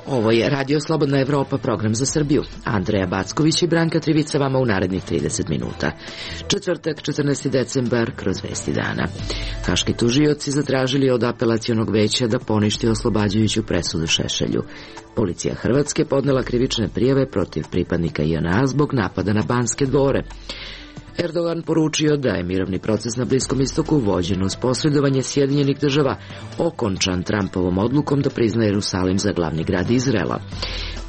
Ovo je Radio Slobodna Evropa, program za Srbiju. Andreja Backović i Branka Trivica vama u narednih 30 minuta. Četvrtak, 14. decembar, kroz vesti dana. Haški tužioci zatražili od apelacionog veća da poništi oslobađajuću presudu Šešelju. Policija Hrvatske podnela krivične prijave protiv pripadnika JNA zbog napada na Banske dvore. Erdogan poručio da je mirovni proces na Bliskom istoku vođen uz posredovanje Sjedinjenih država okončan Trumpovom odlukom da prizna Jerusalim za glavni grad Izraela.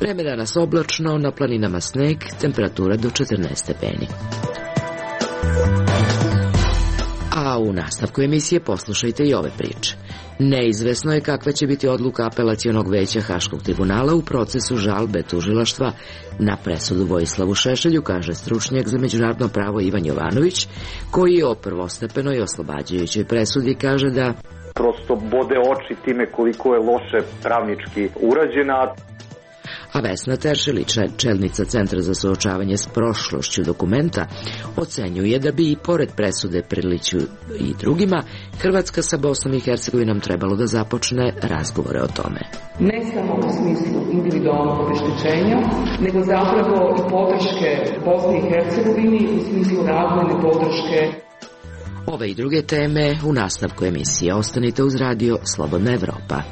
Vreme danas oblačno, na planinama sneg, temperatura do 14 stepeni. A u nastavku emisije poslušajte i ove priče. Neizvesno je kakva će biti odluka apelacionog veća Haškog tribunala u procesu žalbe tužilaštva na presudu Vojislavu Šešelju, kaže stručnjak za međunarodno pravo Ivan Jovanović, koji o prvostepenoj oslobađajućoj presudi kaže da prosto bode oči time koliko je loše pravnički urađena. A Vesna Teršelić, čelnica Centra za suočavanje s prošlošću Dokumenta, ocenjuje da bi i pored presude Prliću i drugima, Hrvatska sa Bosnom i Hercegovinom trebalo da započne razgovore o tome. Ne samo u smislu individualnog obeštećenja, nego zapravo i podrške Bosni i Hercegovini u smislu razvojne podrške. Ove i druge teme u nastavku emisije. Ostanite uz Radio Slobodna Evropa.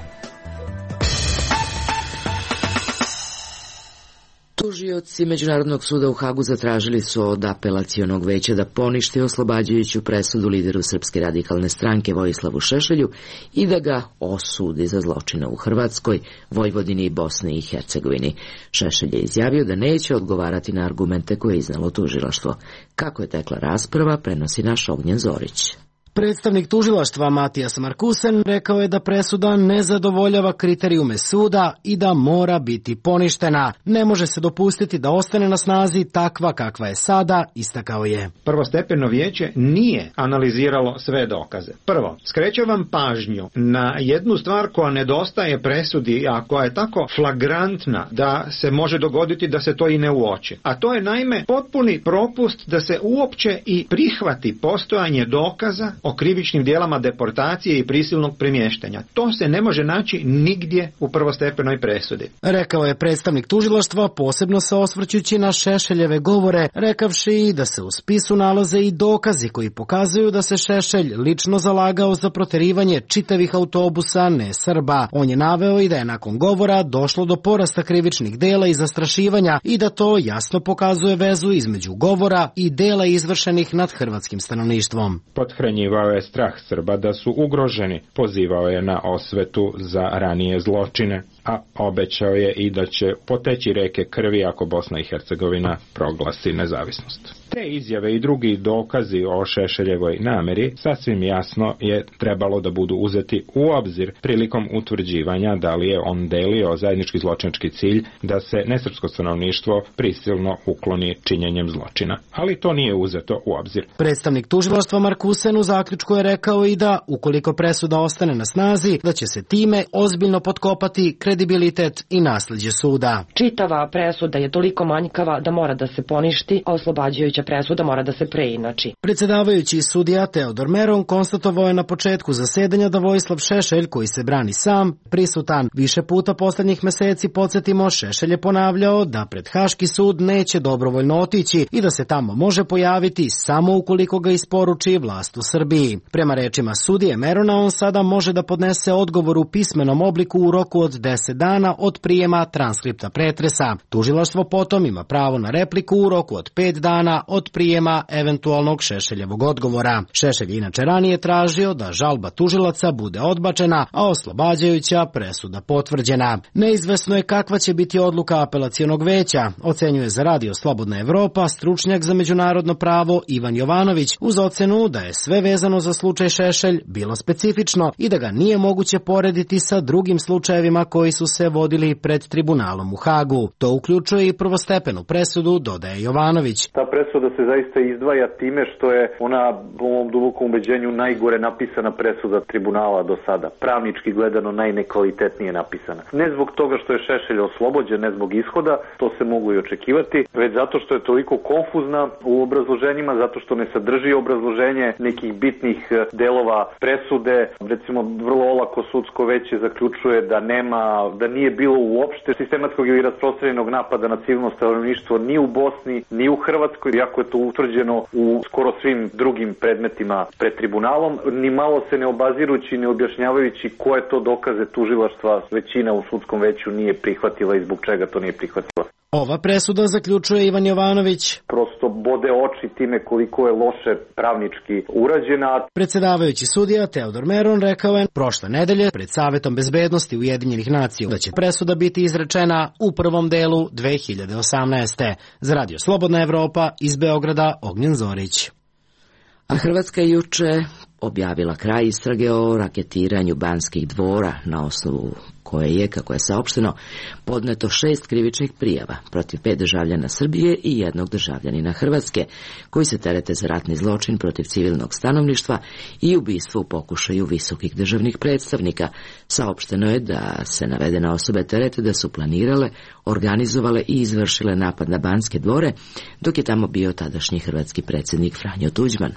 Tužioci Međunarodnog suda u Hagu zatražili su od apelacionog veća da poništi oslobađajuću presudu lideru Srpske radikalne stranke Vojislavu Šešelju i da ga osudi za zločine u Hrvatskoj, Vojvodini i Bosni i Hercegovini. Šešelj je izjavio da neće odgovarati na argumente koje je iznalo tužilaštvo. Kako je tekla rasprava, prenosi naš Ognjen Zorić. Predstavnik tužilaštva Matijas Markusen rekao je da presuda ne zadovoljava kriterijume suda i da mora biti poništena. Ne može se dopustiti da ostane na snazi takva kakva je sada, istakao je. Prvostepeno vijeće nije analiziralo sve dokaze. Prvo, skrećem vam pažnju na jednu stvar koja nedostaje presudi, a koja je tako flagrantna da se može dogoditi da se to i ne uoči. A to je naime potpuni propust da se uopće i prihvati postojanje dokaza o krivičnim djelama deportacije i prisilnog premještanja. To se ne može naći nigdje u prvostepenoj presudi. Rekao je predstavnik tužilaštva, posebno se osvrćući na Šešeljeve govore, rekavši da se u spisu nalaze i dokazi koji pokazuju da se Šešelj lično zalagao za proterivanje čitavih autobusa ne Srba. On je naveo i da je nakon govora došlo do porasta krivičnih dela i zastrašivanja i da to jasno pokazuje vezu između govora i dela izvršenih nad hrvatskim stanovništvom. Pothranjivao je strah Srba da su ugroženi, pozivao je na osvetu za ranije zločine, a obećao je i da će poteći reke krvi ako Bosna i Hercegovina proglasi nezavisnost. Te izjave i drugi dokazi o Šešeljevoj nameri sasvim jasno je trebalo da budu uzeti u obzir prilikom utvrđivanja da li je on delio zajednički zločinački cilj da se nesrpsko stanovništvo prisilno ukloni činjenjem zločina. Ali to nije uzeto u obzir. Predstavnik tužilaštva Markusen u zaključku je rekao i da, ukoliko presuda ostane na snazi, da će se time ozbiljno potkopati kredibilitet i nasleđe suda. Čitava presuda je toliko manjkava da mora da se poništi, a oslobađajuća presuda mora da se preinači. Predsjedavajući sudija Teodor Meron konstatovao je na početku zasedanja da Vojislav Šešelj, koji se brani sam, prisutan. Više puta posljednjih meseci, podsjetimo, Šešelj je ponavljao da pred Haški sud neće dobrovoljno otići i da se tamo može pojaviti samo ukoliko ga isporuči vlast u Srbiji. Prema rečima sudije Merona, on sada može da podnese odgovor u pismenom obliku u roku od 10 dana od prijema transkripta pretresa. Tužilaštvo potom ima pravo na repliku u roku od 5 dana od prijema eventualnog Šešeljevog odgovora. Šešelj inače ranije tražio da žalba tužilaca bude odbačena, a oslobađajuća presuda potvrđena. Neizvesno je kakva će biti odluka apelacionog veća, ocenjuje za Radio Slobodna Evropa stručnjak za međunarodno pravo Ivan Jovanović, uz ocenu da je sve vezano vezano za slučaj Šešelj bilo specifično i da ga nije moguće porediti sa drugim slučajevima koji su se vodili pred tribunalom u Hagu. To uključuje i prvostepenu presudu, dodaje Jovanović. Ta presuda se zaista izdvaja time što je ona, po mom dubokom ubeđenju, najgore napisana presuda tribunala do sada. Pravnički gledano najnekvalitetnije napisana. Ne zbog toga što je Šešelj oslobođen, ne zbog ishoda, to se mogu i očekivati, već zato što je toliko konfuzna u obrazloženjima, zato što ne sadrži obrazloženje nekih bitnih delova presude. Recimo, vrlo olako sudsko veće zaključuje da nije bilo uopšte sistematskog ili rasprostranjenog napada na civilno stanovništvo ni u Bosni, ni u Hrvatskoj, iako je to utvrđeno u skoro svim drugim predmetima pred tribunalom, ni malo se ne obazirući, ne objašnjavajući koje to dokaze tužilaštva većina u sudskom veću nije prihvatila i zbog čega to nije prihvatila. Ova presuda, zaključuje Ivan Jovanović, prosto bode oči time koliko je loše pravnički urađena. Predsjedavajući sudija Teodor Meron rekao je prošle nedelje pred Savetom bezbednosti Ujedinjenih nacija da će presuda biti izrečena u prvom delu 2018. Za Radio Slobodna Evropa iz Beograda, Ognjen Zorić. A Hrvatska je juče objavila kraj istrage o raketiranju Banskih dvora, na osnovu koje je, kako je saopšteno, podneto 6 krivičnih prijava protiv 5 državljana Srbije i 1 državljanina Hrvatske, koji se terete za ratni zločin protiv civilnog stanovništva i ubistvo u pokušaju visokih državnih predstavnika. Saopšteno je da se navedene osobe terete da su planirale, organizovale i izvršile napad na Banske dvore, dok je tamo bio tadašnji hrvatski predsjednik Franjo Tuđman.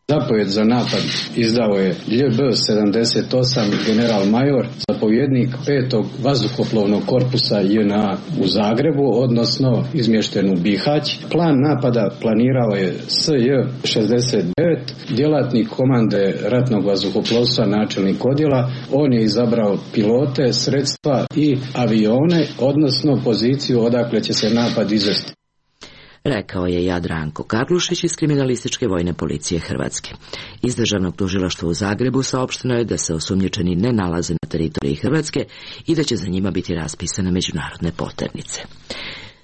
Zapovjed za napad izdao je LJB 78 general major, zapovjednik 5. vazduhoplovnog korpusa JNA u Zagrebu, odnosno izmješten u Bihać. Plan napada planirao je SJ 69, djelatnik komande ratnog vazduhoplovstva, načelnik odjela. On je izabrao pilote, sredstva i avione, odnosno poziciju odakle će se napad izvesti. Rekao je Jadranko Karlušić iz Kriminalističke vojne policije Hrvatske. Iz Državnog tužilaštva u Zagrebu saopšteno je da se osumnjičeni ne nalaze na teritoriji Hrvatske i da će za njima biti raspisane međunarodne poternice.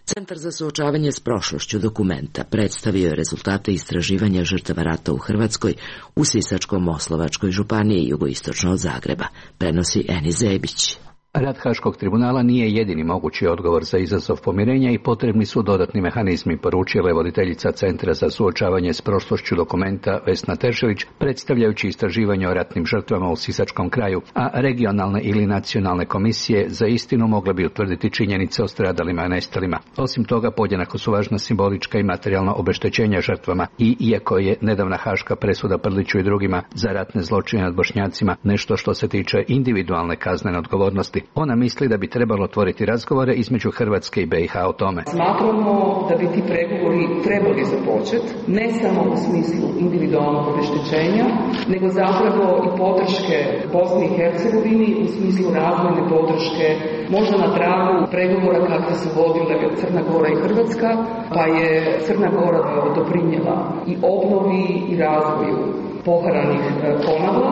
Centar za suočavanje s prošlošću Dokumenta predstavio je rezultate istraživanja žrtava rata u Hrvatskoj u Sisačko-Moslavačkoj županiji jugoistočno od Zagreba, prenosi Eni Zebić. Rad Haškog tribunala nije jedini mogući odgovor za izazov pomirenja i potrebni su dodatni mehanizmi, poručila je voditeljica Centra za suočavanje s prošlošću Dokumenta Vesna Teršević, predstavljajući istraživanje o ratnim žrtvama u Sisačkom kraju, a regionalne ili nacionalne komisije za istinu mogle bi utvrditi činjenice o stradalima i nestalima. Osim toga, podjednako su važna simbolička i materijalna obeštećenja žrtvama i iako je nedavna haška presuda Prliću i drugima za ratne zločine nad Bošnjacima nešto što se tiče individualne kaznene odgovornosti, ona misli da bi trebalo otvoriti razgovore između Hrvatske i BiH o tome. Smatramo da bi ti pregovori trebali započeti, ne samo u smislu individualnog obeštećenja, nego zapravo i podrške Bosni i Hercegovini u smislu razvojne podrške, možda na tragu pregovora kakve su vodile Crna Gora i Hrvatska, pa je Crna Gora doprinijela i obnovi i razvoju poharanih Konavla.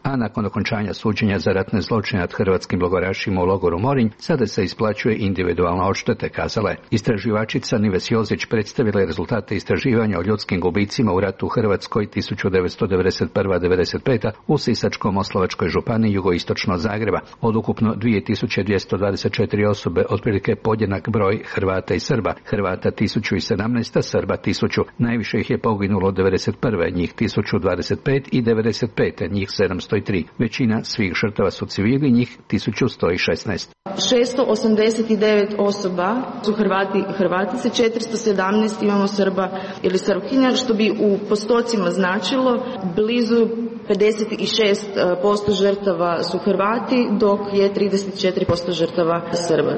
A nakon okončanja suđenja za ratne zločine nad hrvatskim logorašima u logoru Morinj, sada se isplaćuje individualna odštete, kazala je. Istraživačica Nives Jozić predstavila je rezultate istraživanja o ljudskim gubicima u ratu u Hrvatskoj 1991-95 u Sisačko-Moslavačkoj županiji jugoistočno od Zagreba. Od ukupno 2224 osobe, otprilike podjednak broj Hrvata i Srba. Hrvata 1017, Srba 1000. Najviše ih je poginulo 91. njih 1025 i 95. njih 703. Većina svih žrtava su civili, njih 1116. 689 osoba su Hrvati i Hrvatice, 417 imamo Srba ili Srpkinja, što bi u postocima značilo blizu 56% žrtava su Hrvati, dok je 34% žrtava Srba.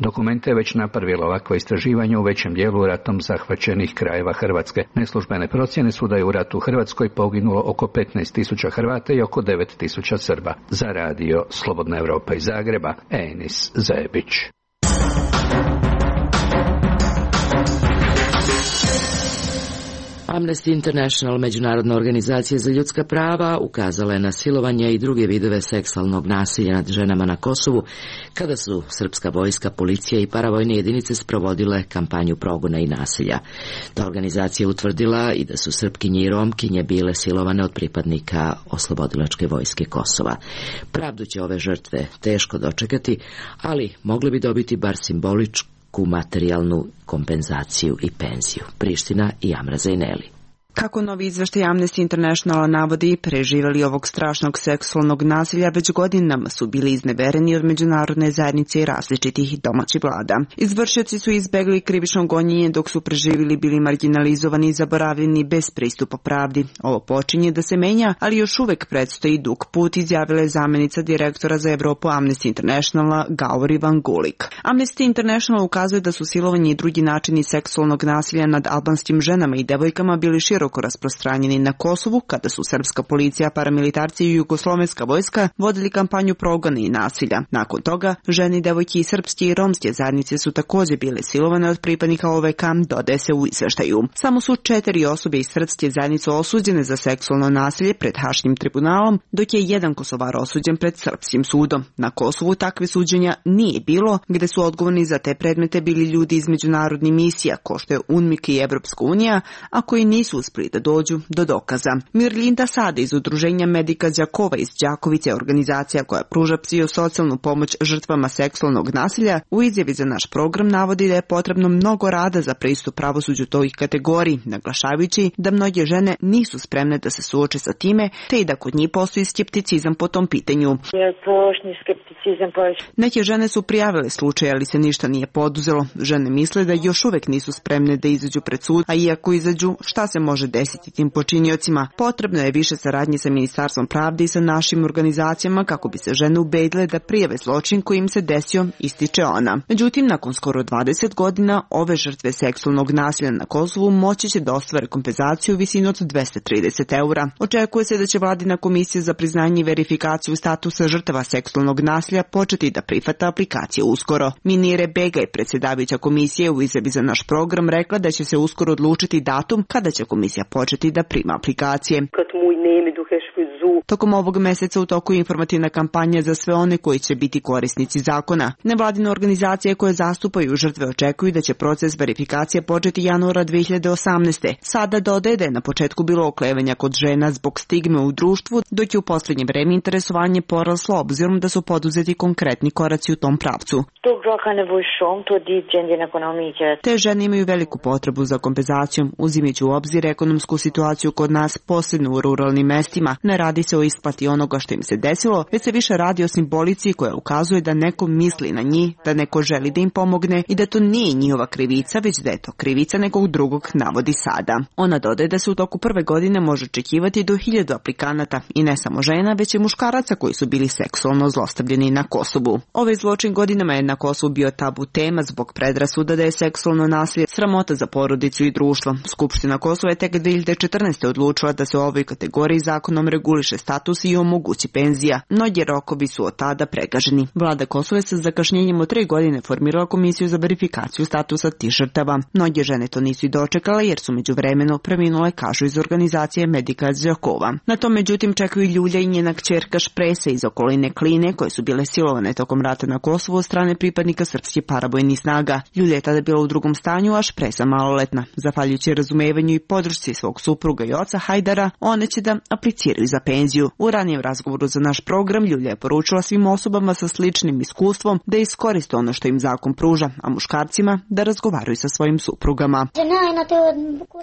Dokument je već napravilo ovakvo istraživanje u većem dijelu ratom zahvaćenih krajeva Hrvatske. Neslužbene procjene su da je u ratu u Hrvatskoj poginulo oko 15.000 Hrvata i oko 9.000 Srba. Za radio Slobodna Evropa iz Zagreba, Enis Zebić. Amnesty International, međunarodna organizacija za ljudska prava, ukazala je na silovanje i druge vidove seksualnog nasilja nad ženama na Kosovu, kada su srpska vojska, policija i paravojne jedinice sprovodile kampanju progona i nasilja. Ta organizacija utvrdila i da su Srpkinje i Romkinje bile silovane od pripadnika Oslobodilačke vojske Kosova. Pravdu će ove žrtve teško dočekati, ali mogli bi dobiti bar simboličku materijalnu kompenzaciju i penziju. Priština i Amra Zejneli. Kako novi izveštaj Amnesty Internationala navodi, preživeli ovog strašnog seksualnog nasilja već godinama su bili iznevereni od međunarodne zajednice i različitih domaćih vlada. Izvršioci su izbegli krivično gonjenje dok su preživili bili marginalizovani i zaboravljeni bez pristupa pravdi. Ovo počinje da se menja, ali još uvek predstoji dug put, izjavila je zamenica direktora za Evropu Amnesty Internationala Gauri Van Gulik. Amnesty International ukazuje da su silovanje i drugi načini seksualnog nasilja nad albanskim ženama i devojkama bili široko rasprostranjeni na Kosovu, kada su srpska policija, paramilitarci i jugoslovenska vojska vodili kampanju progona i nasilja. Nakon toga, žene, devojke i srpske i romske zajednice su također bile silovane od pripadnika OVK, dodaje se u izveštaju. Samo su 4 osobe iz srpske zajednice osuđene za seksualno nasilje pred Haškim tribunalom, dok je jedan Kosovar osuđen pred srpskim sudom. Na Kosovu takve suđenja nije bilo, gde su odgovorni za te predmete bili ljudi iz međunarodnih misija, ko što je UNMIK i Evropska unija, a koji nisu uspeli da dođu do dokaza. Mirlinda Sada iz udruženja Medika Đakova iz Đakovice, organizacija koja pruža psihosocijalnu pomoć žrtvama seksualnog nasilja, u izjavi za naš program navodi da je potrebno mnogo rada za pristup pravosuđu toj kategoriji, naglašavajući da mnoge žene nisu spremne da se suoče sa time, te i da kod njih postoji skepticizam po tom pitanju. Neke žene su prijavile slučaj, ali se ništa nije poduzelo. Žene misle da još uvek nisu spremne da izađu pred sud, a iako izađu, šta se može desiti tim počiniocima? Potrebno je više saradnje sa Ministarstvom pravde i sa našim organizacijama kako bi se žene ubedile da prijave zločin koji im se desio, ističe ona. Međutim, nakon skoro 20 godina, ove žrtve seksualnog nasilja na Kosovu moći će da ostvare kompenzaciju u visini od 230 eura. Očekuje se da će Vladina komisija za priznanje i verifikaciju statusa žrtava seksualnog nasilja početi da prihvata aplikacije uskoro. Minire Begaj, predsjedavajuća komisije, u izjavi za naš program rekla da će se uskoro odlučiti datum kada će komisija početi da prima aplikacije. Tokom ovog meseca u toku je informativna kampanja za sve one koji će biti korisnici zakona. Nevladine organizacije koje zastupaju žrtve očekuju da će proces verifikacije početi januara 2018. Sada dodaje da je na početku bilo oklevanja kod žena zbog stigme u društvu, dok je u posljednje vreme interesovanje poraslo obzirom da su poduzeti konkretni koraci u tom pravcu. Te žene imaju veliku potrebu za kompenzacijom, uzimajući u obzir ekonomsku situaciju kod nas, posebno u ruralnim mestima. Ne radi se o isplati onoga što im se desilo, već se više radi o simbolici koja ukazuje da neko misli na njih, da neko želi da im pomogne i da to nije njihova krivica, već da je to krivica nekog drugog, navodi Sada. Ona dodaje da se u toku prve godine može očekivati do 1000 aplikanata i ne samo žena, već i muškaraca koji su bili seksualno zlostavljeni na Kosovu. Ovaj zločin godinama je na Kosovu bio tabu tema zbog predrasuda da je seksualno nasilje sramota za porodicu i društvo. Skupština Kosova je tek 2014. odlučila da se u ovoj kategoriji zakonom reguliše status i omogući penzija. Mnogi rokovi su od tada pregaženi. Vlada Kosova je sa zakašnjenjem od 3 godine formirala komisiju za verifikaciju statusa tih žrtava. Mnoge žene to nisu i dočekale jer su međuvremeno preminule, kažu iz organizacije Medika Đakova. Na to međutim čekaju Ljulja i njena kćerka Špresa iz okoline Kline koje su bile silovane tokom rata na Kosovu od strane pripadnika srpskih paravojnih snaga. Ljulja je tada bila u drugom stanju, a Špresa maloletna. Zahvaljujući razumevanju i podršci svog supruga i oca Hajdara, one će da apliciraju za penziju. U ranijem razgovoru za naš program Ljulja je poručila svim osobama sa sličnim iskustvom da iskoriste ono što im zakon pruža, a muškarcima da razgovaraju sa svojim suprugama.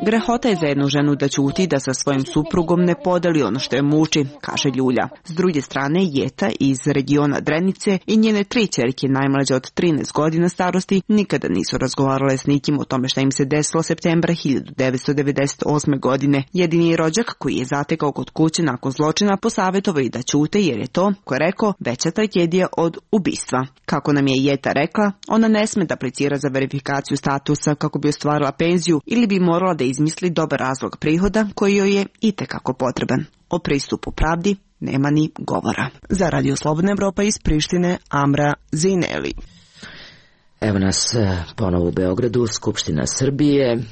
Grehota je za jednu ženu da ćuti, da sa svojim suprugom ne podeli ono što je muči, kaže Ljulja. S druge strane, Jeta iz regiona Drenice i njene 3 ćerke najmlađe od 13 godina starosti nikada nisu razgovarale s nikim o tome šta im se desilo septembra 1998. godine. Jedini rođak koji je zatekao kod kuće nakon zločina posavjetovao i da ćute jer je to, ko je rekao, veća tragedija od ubistva. Kako nam je Jeta rekla, ona ne sme da aplicira za verifikaciju statusa kako bi ostvarila penziju ili bi morala da izmisli dobar razlog prihoda koji joj je itekako potreban. O pristupu pravdi nema ni govora. Za Radio Slobodna Evropa iz Prištine, Amra Zejneli. Evo nas ponovo u Beogradu, Skupština Srbije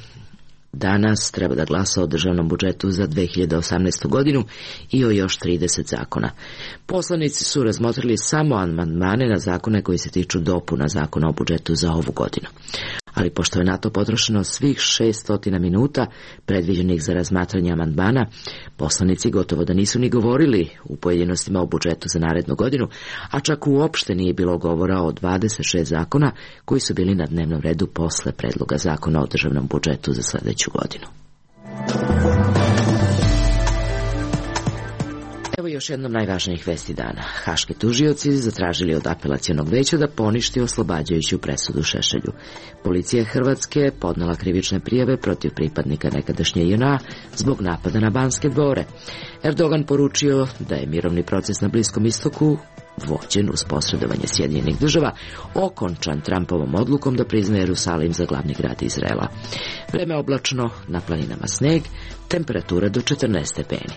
danas treba da glasa o državnom budžetu za 2018. godinu i o još 30 zakona. Poslanici su razmotrili samo amandmane na zakone koji se tiču dopuna zakona o budžetu za ovu godinu. Ali pošto je na to potrošeno svih 600 minuta predviđenih za razmatranje amandmana, poslanici gotovo da nisu ni govorili u pojedinostima o budžetu za narednu godinu, a čak uopšte nije bilo govora o 26 zakona koji su bili na dnevnom redu posle predloga zakona o državnom budžetu za sledeću godinu. Evo još jednom najvažnijih vesti dana. Haški tužioci zatražili od apelacionog veća da poništi oslobađajuću presudu Šešelju. Policija Hrvatske podnela krivične prijave protiv pripadnika nekadašnje JNA zbog napada na Banske dvore. Erdogan poručio da je mirovni proces na Bliskom istoku, vođen uz posredovanje Sjedinjenih država, okončan Trumpovom odlukom da priznaje Jerusalim za glavni grad Izraela. Vreme oblačno, na planinama sneg, temperatura do 14 stepeni.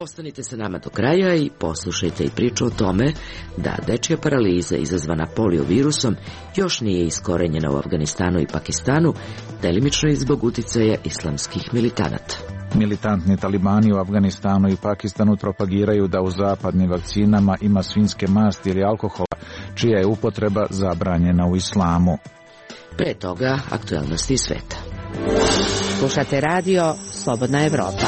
Ostanite sa nama do kraja i poslušajte i priču o tome da dečija paraliza izazvana polio virusom još nije iskorenjena u Afganistanu i Pakistanu, delimično i zbog uticaja islamskih militanata. Militantni talibani u Afganistanu i Pakistanu propagiraju da u zapadnim vakcinama ima svinjske masti ili alkohola, čija je upotreba zabranjena u islamu. Pre toga, aktuelnosti sveta. Slušate radio Slobodna Evropa.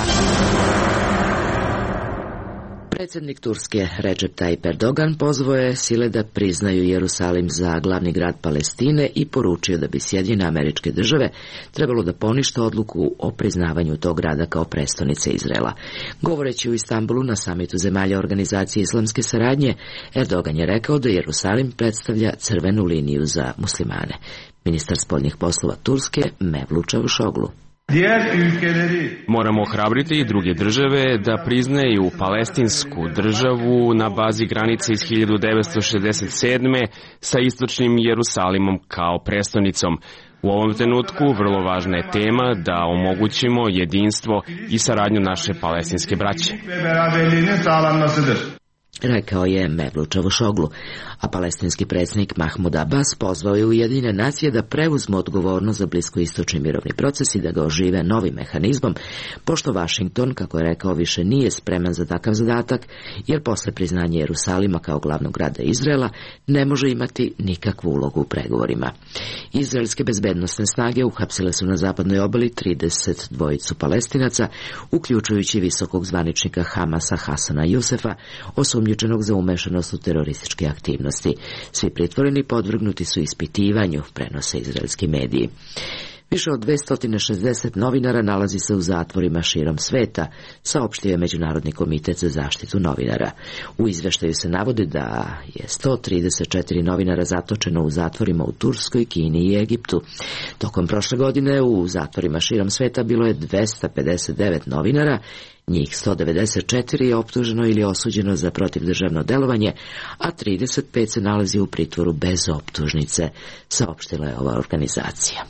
Predsjednik Turske Recep Tayyip Erdogan pozvao je sile da priznaju Jerusalim za glavni grad Palestine i poručio da bi Sjedinjene Američke Države trebalo da ponište odluku o priznavanju tog grada kao prestonice Izraela. Govoreći u Istanbulu na samitu zemalja Organizacije islamske saradnje, Erdogan je rekao da Jerusalim predstavlja crvenu liniju za muslimane. Ministar spoljnih poslova Turske Mevlut Čavuşoglu. Moramo ohrabriti i druge države da priznaju palestinsku državu na bazi granice iz 1967. sa istočnim Jerusalimom kao prestonicom. U ovom trenutku vrlo važna je tema da omogućimo jedinstvo i saradnju naše palestinske braće. Rekao je Mevlut Čavuşoglu, a palestinski predsjednik Mahmud Abbas pozvao je Ujedinjene nacije da preuzmu odgovornost za bliskoistočni mirovni proces i da ga ožive novim mehanizmom, pošto Vašington, kako je rekao, više nije spreman za takav zadatak, jer posle priznanja Jerusalima kao glavnog grada Izraela ne može imati nikakvu ulogu u pregovorima. Izraelske bezbednosne snage uhapsile su na zapadnoj obali 32 Palestinaca, uključujući visokog zvaničnika Hamasa Hasana Jusefa, osumnjičenog za umešanost u terorističke aktivnosti. Svi pritvoreni podvrgnuti su ispitivanju, prenose izraelski mediji. Više od 260 novinara nalazi se u zatvorima širom sveta, saopštio je Međunarodni komitet za zaštitu novinara. U izveštaju se navodi da je 134 novinara zatočeno u zatvorima u Turskoj, Kini i Egiptu. Tokom prošle godine u zatvorima širom sveta bilo je 259 novinara, njih 194 je optuženo ili osuđeno za protivdržavno delovanje, a 35 se nalazi u pritvoru bez optužnice, saopštila je ova organizacija.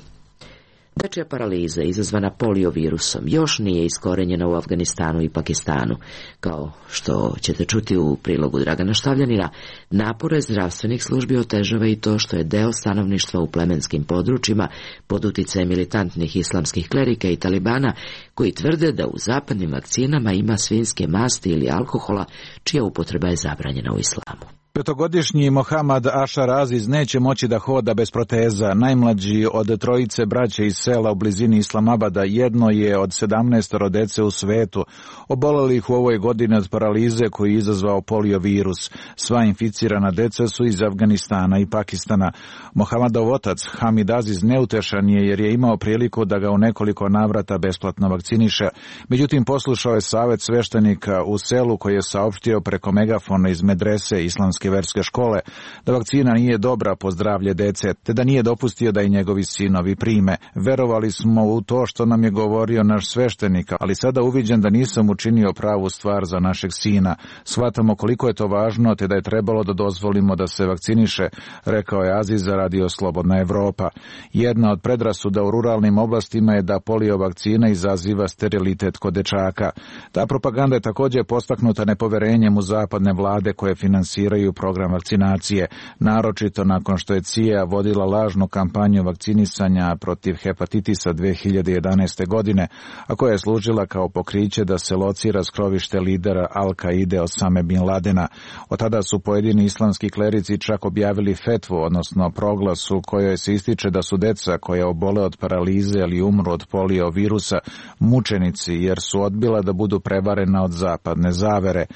Dečija paraliza izazvana polio virusom još nije iskorenjena u Afganistanu i Pakistanu. Kao što ćete čuti u prilogu Dragana Štavljanina, napore zdravstvenih službi otežava i to što je deo stanovništva u plemenskim područjima pod uticajem militantnih islamskih klerika i talibana koji tvrde da u zapadnim vakcinama ima svinjske masti ili alkohola čija upotreba je zabranjena u islamu. Petogodišnji Mohammad Ašar Aziz neće moći da hoda bez proteza. Najmlađi od trojice braće iz sela u blizini Islamabada, jedno je od 17 dece u svetu, oboleli ih u ovoj godini od paralize koju je izazvao polio virus. Sva inficirana deca su iz Afganistana i Pakistana. Mohammadov otac Hamid Aziz neutešan je jer je imao priliku da ga u nekoliko navrata besplatno vakciniše. Međutim, poslušao je savjet sveštenika u selu koji je saopštio preko megafona iz medrese islamske verske škole da vakcina nije dobra po zdravlje dece, te da nije dopustio da i njegovi sinovi prime. Verovali smo u to što nam je govorio naš sveštenik, ali sada uviđam da nisam učinio pravu stvar za našeg sina. Shvatamo koliko je to važno, te da je trebalo da dozvolimo da se vakciniše, rekao je Aziz za radio Slobodna Evropa. Jedna od predrasuda u ruralnim oblastima je da polio vakcina izaziva sterilitet kod dečaka. Ta propaganda je također postaknuta nepoverenjem u zapadne vlade koje finansiraju podržavaju program vakcinacije, naročito nakon što je CIA vodila lažnu kampanju vakcinisanja protiv hepatitisa 2011. godine, a koja je služila kao pokriće da se locira skrovište lidera Al-Kaide Osame Bin Ladena. Od tada su pojedini islamski klerici čak objavili fetvu, odnosno proglas u kojoj se ističe da su deca koja obole od paralize ili umru od polio virusa mučenici jer su odbila da budu prevarena od zapadne zavere.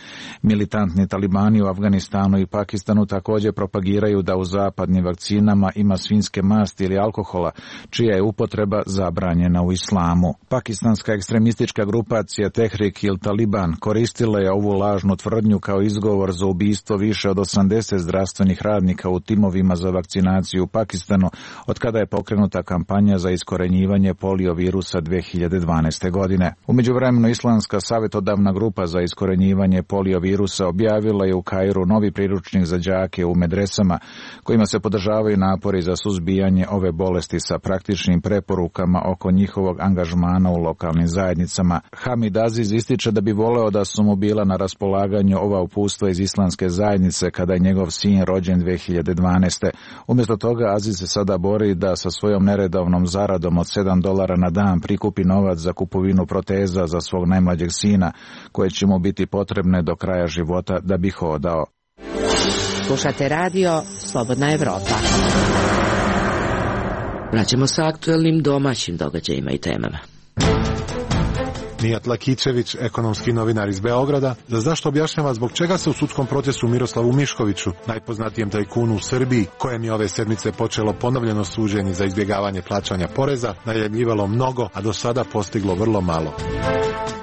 Militantni talibani u Afganistanu i Pakistanu također propagiraju da u zapadnim vakcinama ima svinjske masti ili alkohola, čija je upotreba zabranjena u islamu. Pakistanska ekstremistička grupacija Tehrik il Taliban koristila je ovu lažnu tvrdnju kao izgovor za ubistvo više od 80 zdravstvenih radnika u timovima za vakcinaciju u Pakistanu od kada je pokrenuta kampanja za iskorenjivanje polio virusa 2012. godine. U međuvremenu Islamska savjetodavna grupa za iskorenjivanje polio virusa objavila je u Kairu novi priručnik za đake u medresama kojima se podržavaju napori za suzbijanje ove bolesti sa praktičnim preporukama oko njihovog angažmana u lokalnim zajednicama. Hamid Aziz ističe da bi voleo da su mu bila na raspolaganju ova upustva iz islamske zajednice kada je njegov sin rođen 2012. Umjesto toga Aziz se sada bori da sa svojom neredovnom zaradom od $7 na dan prikupi novac za kupovinu proteza za svog najmlađeg sina, koje će mu biti potrebne do kraja života da bi hodao. Slušate radio Slobodna Evropa. Vraćamo sa aktuelnim domaćim događajima i temama. Mijat Lakićević, ekonomski novinar iz Beograda, za zašto objašnjava zbog čega se u sudskom procesu Miroslavu Miškoviću, najpoznatijem tajkunu u Srbiji, kojem je ove sedmice počelo ponovljeno suđenje za izbjegavanje plaćanja poreza, najavljivalo mnogo, a do sada postiglo vrlo malo.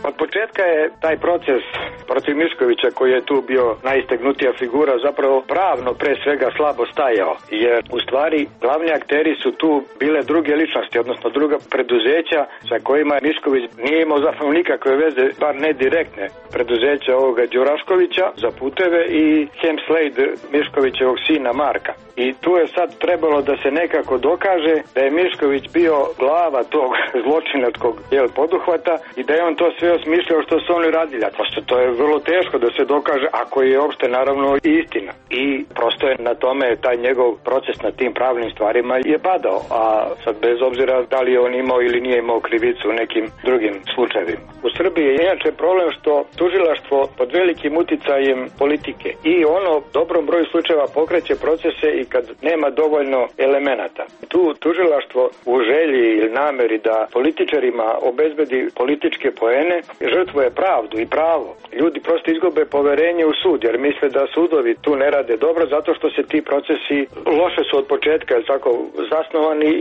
Od početka je taj proces protiv Miškovića, koji je tu bio najistegnutija figura, zapravo pravno pre svega slabo stajao, jer u stvari glavni akteri su tu bile druge ličnosti, odnosno druga preduzeća sa kojima Mišković nije imao zapravo nikakve veze, bar ne direktne, preduzeća ovoga Đuraškovića za puteve i Hemslade Miškovićevog sina Marka. I tu je sad trebalo da se nekako dokaže da je Mišković bio glava tog zločinačkog poduhvata i da je on to sve osmišljao što su oni radili. Prosto to je vrlo teško da se dokaže, ako je uopšte naravno istina. I prosto je na tome taj njegov proces na tim pravnim stvarima je padao, a sad bez obzira da li je on imao ili nije imao krivicu u nekim drugim slučajevima. U Srbiji je inače problem što tužilaštvo pod velikim uticajem politike i ono dobrom broju slučajeva pokreće procese i kad nema dovoljno elemenata. Tu tužilaštvo u želji ili nameri da političarima obezbedi političke poene žrtvuje pravdu i pravo. Ljudi prosto izgube poverenje u sud jer misle da sudovi tu ne rade dobro zato što se ti procesi loše su od početka tako zasnovani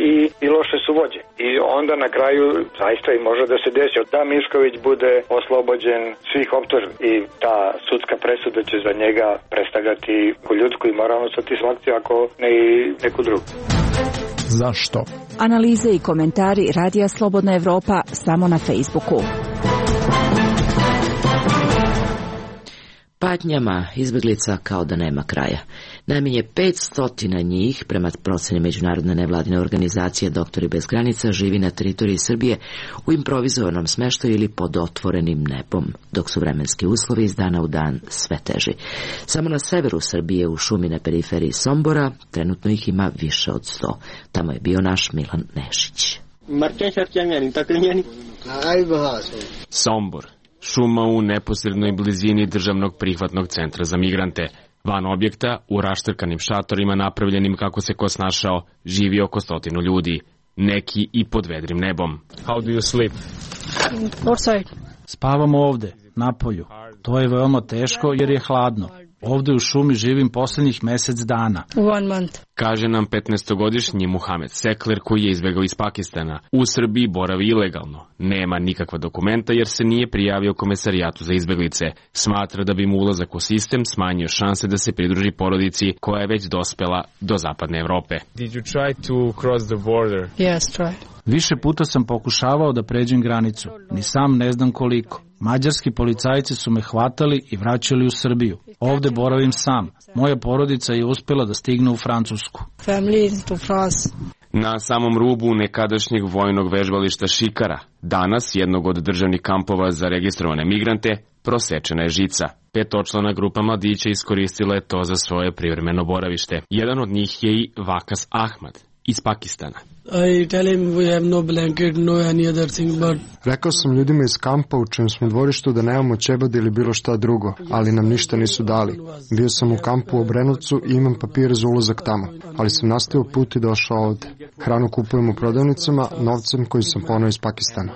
i loše su vođe. I onda na kraju zaista i može da se desi da Mišković bude oslobođen svih optužbi i ta sudska presuda će za njega predstavljati ljudsku i moralnu satisfakciju ako ne i neku drugu. Zašto? Analize i komentari Radija Slobodna Evropa samo na Facebooku. Patnjama izbjeglica kao da nema kraja. Najmanje 500 njih, prema proceni međunarodne nevladine organizacije Doktori bez granica, živi na teritoriji Srbije u improvizovanom smeštaju ili pod otvorenim nebom, dok su vremenski uslovi iz dana u dan sve teži. Samo na severu Srbije, u šumi na periferiji Sombora, trenutno ih ima više od 100. Tamo je bio naš Milan Nešić. Sombor, šuma u neposrednoj blizini državnog prihvatnog centra za migrante. Van objekta, u raštrkanim šatorima napravljenim kako se ko snašao, živi oko 100 ljudi. Neki i pod vedrim nebom. How do you sleep? Outside. Spavamo ovde, na polju. To je veoma teško jer je hladno. Ovde u šumi živim posljednjih mjesec dana. 1 month. Kaže nam 15-godišnji Muhamed Sekler koji je izbegao iz Pakistana. U Srbiji boravi ilegalno. Nema nikakva dokumenta jer se nije prijavio komesarijatu za izbeglice. Smatra da bi mu ulazak u sistem smanjio šanse da se pridruži porodici koja je već dospela do zapadne Evrope. Did you try to cross the border? Yes, try. Više puta sam pokušavao da pređem granicu. Ni sam ne znam koliko. Mađarski policajci su me hvatali i vraćali u Srbiju. Ovde boravim sam. Moja porodica je uspjela da stigne u Francusku. Na samom rubu nekadašnjeg vojnog vežbališta Šikara, danas jednog od državnih kampova za registrovane migrante, prosečena je žica. Petočlana grupa mladića iskoristila je to za svoje privremeno boravište. Jedan od njih je i Vakas Ahmad iz Pakistana. Rekao sam ljudima iz kampa u čijem smo dvorištu da nemamo ćebad ili bilo šta drugo, ali nam ništa nisu dali. Bio sam u kampu u Obrenovcu i imam papire za ulazak tamo, ali sam nastavio put i došao ovde. Hranu kupujem u prodavnicama novcem koji sam poneo iz Pakistana.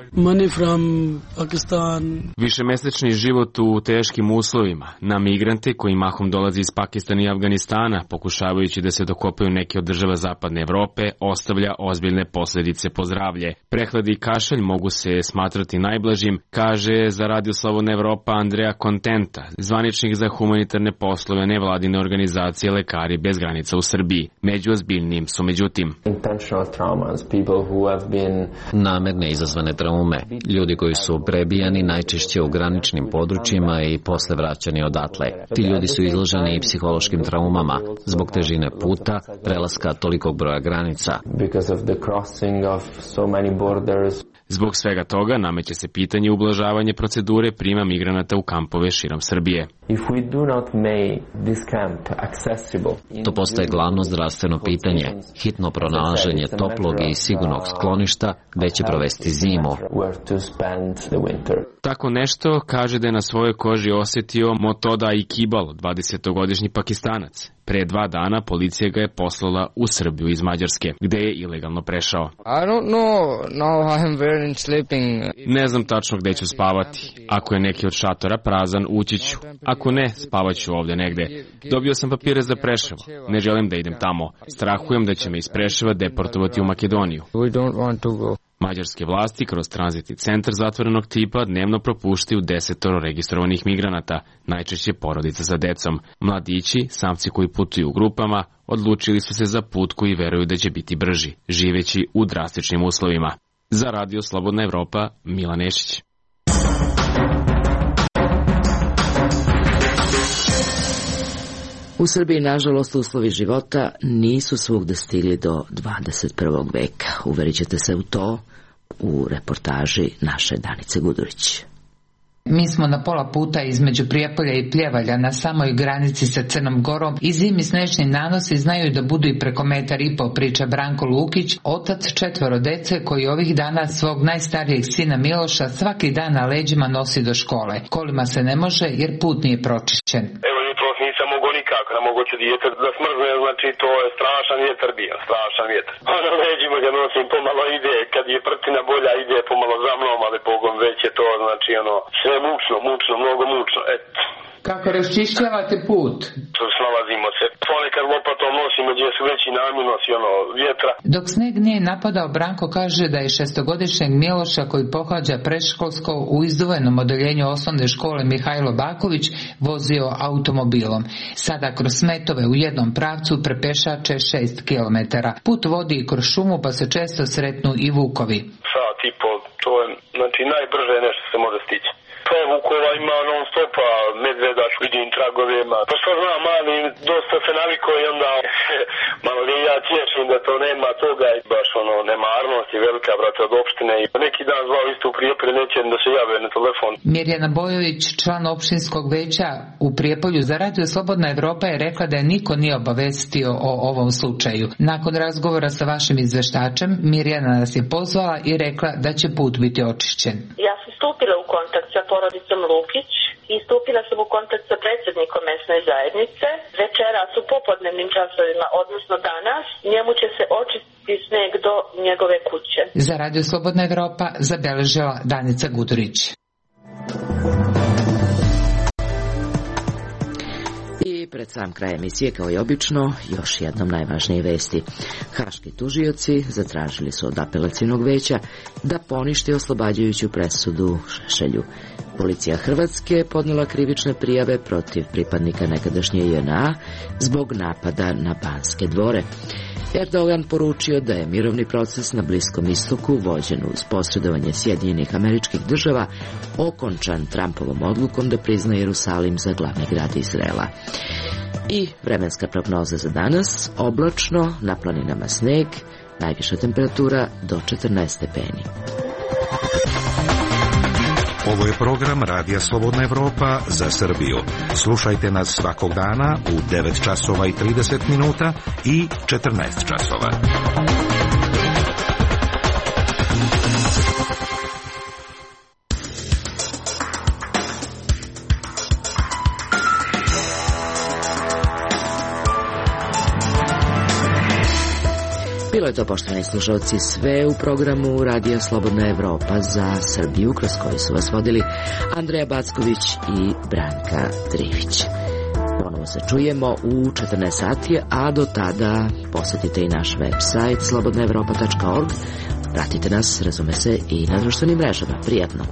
Višemesečni život u teškim uslovima na migrante koji mahom dolazi iz Pakistana i Afganistana, pokušavajući da se dokopaju neke od država zapadne Evrope, ostavlja ozbiljne posledice po zdravlje. Prehlad i kašalj mogu se smatrati najblažim, kaže za Radio Slobodna Evropa Andrea Kontenta, zvaničnik za humanitarne poslove nevladine organizacije Lekari bez granica u Srbiji. Među ozbiljnijim su međutim namerne izazvane traume, ljudi koji su prebijani najčešće u graničnim područjima i posle vraćani odatle. Ti ljudi su izloženi i psihološkim traumama zbog težine puta, prelaska tolikog broja granica. Zbog svega toga nameće se pitanje ublažavanja procedure prima migranata u kampove širom Srbije. To postaje glavno zdravstveno pitanje. Hitno pronalaženje toplog i sigurnog skloništa gde će provesti zimu. Tako nešto kaže da je na svojoj koži osjetio Motoda Ikibal, 20-godišnji Pakistanac. Pre 2 dana policija ga je poslala u Srbiju iz Mađarske, gde je ilegalno prešao. Ne znam tačno gde ću spavati. Ako je neki od šatora prazan, ući ću. Ako ne, spavaću ovde negde. Dobio sam papire za Preševo. Ne želim da idem tamo. Strahujem da će me iz Preševa deportovati u Makedoniju. Mađarske vlasti kroz tranzitni centar zatvorenog tipa dnevno propuštaju 10 registrovanih migranata, najčešće porodica sa decom. Mladići, samci koji putuju u grupama, odlučili su se za put koji veruju da će biti brži, živeći u drastičnim uslovima. Za Radio Slobodna Evropa, Milan Nešić. U Srbiji, nažalost, uslovi života nisu svugde stigli do 21. veka. Uverit ćete se u to u reportaži naše Danice Gudurić. Mi smo na pola puta između Prijepolja i Pljevalja na samoj granici sa Crnom Gorom i zimi snešni nanosi znaju da budu i preko 1,5 metra, priča Branko Lukić, otac 4 dece koji ovih dana svog najstarijeg sina Miloša svaki dan na leđima nosi do škole. Kolima se ne može jer put nije pročišćen. Nisam mogo nikako, ne mogu ću dijete da smrzne, znači to je strašan vjetar bio, strašan vjetar. Na leđima ga nosim, pomalo ide, kad je prtina bolja ide pomalo za mnom, ali Bogom već je to, znači sve mučno, mnogo mučno, eto. Kako raščišćavate put? Snalazimo se. Ponekad lopatom nosimo gdje su veći namjenosi vjetra. Dok sneg nije napadao, Branko kaže da je 6-godišnjeg Miloša koji pohađa predškolsko u izdvojenom odeljenju osnovne škole Mihajlo Baković vozio automobilom. Sada kroz smetove u jednom pravcu prepešače 6 kilometara. Put vodi kroz šumu pa se često sretnu i vukovi. Sat i pol, to je znači najbrže nešto se može stići. Pa vukova ima non stopa, medveda, vidim tragovima. Pa što znam, mali, dosta se naviko i onda malo li ja tješim da to nema toga. Baš nemarnost je velika, brate, od opštine. I neki dan zvao isto u Prijepolju, neće da se jave na telefon. Mirjana Bojović, član opštinskog veća u Prijepolju za Radio Slobodna Evropa, je rekla da je niko nije obavestio o ovom slučaju. Nakon razgovora sa vašim izveštačem, Mirjana nas je pozvala i rekla da će put biti očišćen. Ja sam stupila u kontakt sa porodicom Lukić i stupila sam u kontakt sa predsjednikom mesne zajednice. Večeras u popodnevnim časovima, odnosno danas, njemu će se očistiti sneg do njegove kuće. Za Radio Slobodna Evropa zabeležila Danica Gudurić. I pred sam kraj emisije, kao i obično, još jednom najvažnije vesti. Haški tužioci zatražili su od apelacijnog veća da poništi oslobađajuću presudu Šešelju. Policija Hrvatske podnijela krivične prijave protiv pripadnika nekadašnje JNA zbog napada na Banske dvore. Erdogan poručio da je mirovni proces na Bliskom istoku, vođen uz posredovanje Sjedinjenih Američkih Država, okončan Trumpovom odlukom da prizna Jerusalim za glavni grad Izraela. I vremenska prognoza za danas: oblačno, na planinama sneg, najviša temperatura do 14 stepeni. Ovo je program Radija Slobodna Evropa za Srbiju. Slušajte nas svakog dana u 9 časova i 30 minuta i 14 časova. Bilo je to, poštovani slušalci, sve u programu Radija Slobodna Evropa za Srbiju, kroz koji su vas vodili Andreja Backović i Branka Trivić. Ponovo se čujemo u 14 sati, a do tada posetite i naš website slobodnaevropa.org. Pratite nas, razume se, i na društvenim mrežama. Prijatno!